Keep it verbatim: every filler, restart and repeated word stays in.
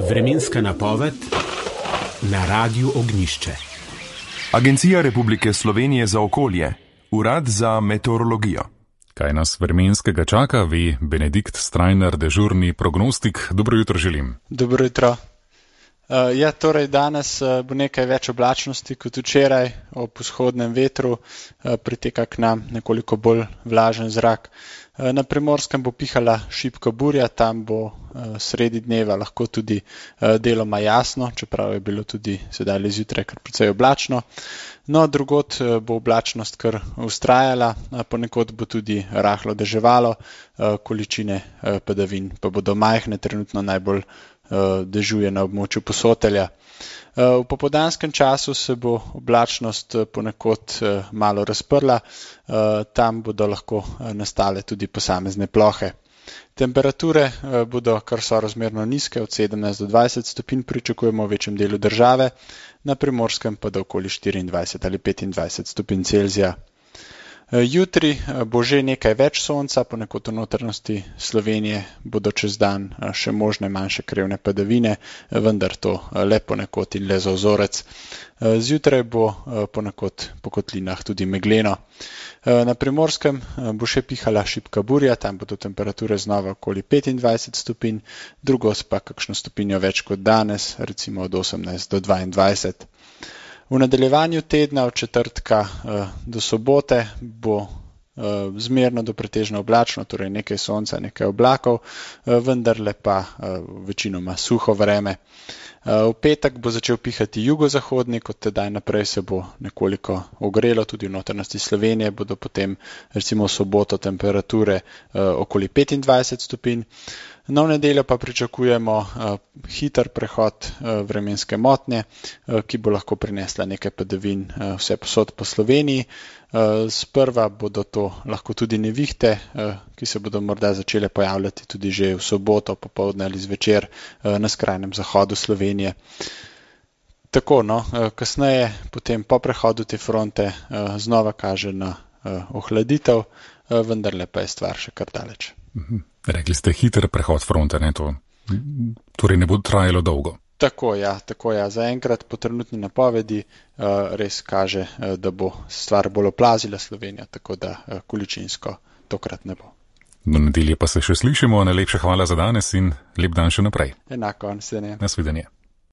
Vremenska napoved na Radiu Ognjišče. Agencija Republike Slovenije za okolje, Urad za meteorologijo. Kaj nas vremenskega čaka, ve Benedikt Strajnar, dežurni prognostik. Dobro jutro želim. Dobro jutro. Uh, ja, torej danes uh, bo nekaj več oblačnosti kot včeraj, ob vzhodnem vetru uh, priteka k nam nekoliko bolj vlažen zrak. Uh, na Primorskem bo pihala šibka burja, tam bo uh, sredi dneva lahko tudi uh, deloma jasno, čeprav je bilo tudi sedaj le zjutraj kar precej oblačno. No, drugod uh, bo oblačnost kar vztrajala, uh, ponekod bo tudi rahlo deževalo, uh, količine uh, padavin pa bodo majhne, trenutno najbolj dežuje na območju Posotelja. V popoldanskem času se bo oblačnost ponekod malo razprla, tam bodo lahko nastale tudi posamezne plohe. Temperature bodo kar sorazmerno nizke, od sedemnajst do dvajset stopinj pričakujemo v večjem delu države, na Primorskem pa do okoli štiriindvajset ali petindvajset stopinj Celzija. Jutri bo že nekaj več sonca, ponekod v notranjosti Slovenije bodo čez dan še možne manjše krevne padavine, vendar to le ponekod in le za vzorec. Zjutraj bo ponekod po kotlinah tudi megleno. Na Primorskem bo še pihala šibka burja, tam bodo temperature znova okoli petindvajset stopinj, drugod pa kakšno stopinjo več kot danes, recimo od osemnajst do dvaindvajset. V nadaljevanju tedna od četrtka do sobote bo zmerno do pretežno oblačno, torej nekaj sonca, nekaj oblakov, vendarle pa večinoma suho vreme. V petek bo začel pihati jugozahodni, kot tedaj naprej se bo nekoliko ogrelo, tudi v notranjosti Slovenije bodo potem recimo v soboto temperature okoli petindvajset stopinj. No, v nedeljo pa pričakujemo uh, hiter prehod uh, vremenske motnje, uh, ki bo lahko prinesla nekaj padavin uh, vse posod po Sloveniji. Uh, sprva bodo to lahko tudi nevihte, uh, ki se bodo morda začele pojavljati tudi že v soboto, popoldne ali zvečer uh, na skrajnem zahodu Slovenije. Tako, no, uh, kasneje, potem po prehodu te fronte, uh, znova kaže na uh, ohladitev, uh, vendarle pa je stvar še kar daleč. Mhm. Rekli ste hiter prehod fronte, ne to? Torej ne bo trajalo dolgo. Tako, ja, tako, ja. Zaenkrat po trenutni napovedi uh, res kaže, uh, da bo stvar bolj oplazila Slovenijo, tako da uh, količinsko tokrat ne bo. Do nedelje pa se še slišimo. Najlepša hvala za danes in lep dan še naprej. Enako, nasvidenje. Nasvidenje.